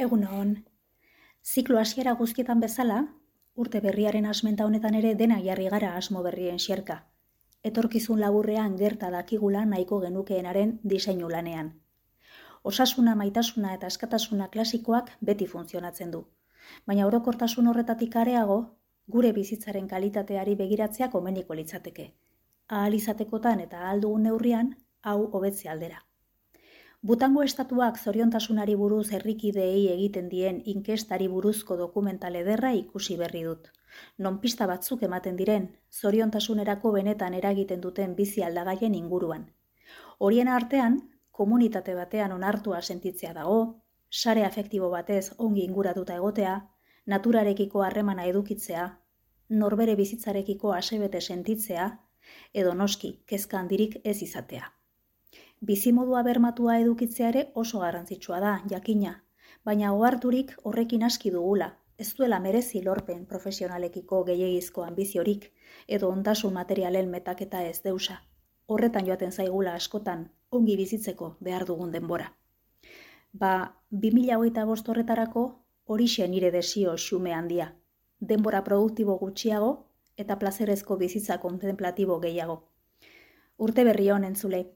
Egunon, ziklo hasiera guztietan bezala, urte berriaren asmenta honetan ere dena jarri gara asmo berrien xerka. Etorkizun laburrean gerta dakigula nahiko genukeenaren diseinu lanean. Osasuna, maitasuna eta askatasuna klasikoak beti funtzionatzen du. Baina orokortasun horretatik areago, gure bizitzaren kalitateari begiratzea komeniko litzateke. Ahal izatekotan eta ahal dugun neurrian, hau hobetze aldera. Butango estatuak zoriontasunari buruz herrikideei egiten dien inkestari buruzko dokumental ederra ikusi berri dut. Non pista batzuk ematen diren, zoriontasunerako benetan eragiten duten bizi aldagaien inguruan. Horien artean, komunitate batean onartua sentitzea dago, sare afektibo batez ongi inguratuta egotea, naturarekiko harremana edukitzea, norbere bizitzarekiko asebete sentitzea, edo noski, kezka handirik ez izatea. Bizimodua bermatua edukitzea ere oso garrantzitsua da, jakina, baina oharturik horrekin aski dugula, ez duela merezi lorpen profesionalekiko gehiegizko anbiziorik, edo ondasun materialen metaketa ez deusa. Horretan joaten zaigula askotan, ongi bizitzeko behar dugun denbora. 2025 horretarako horixe nire desio xume handia. Denbora produktibo gutxiago eta plazerezko bizitza kontemplatibo gehiago. Urte berri on entzule.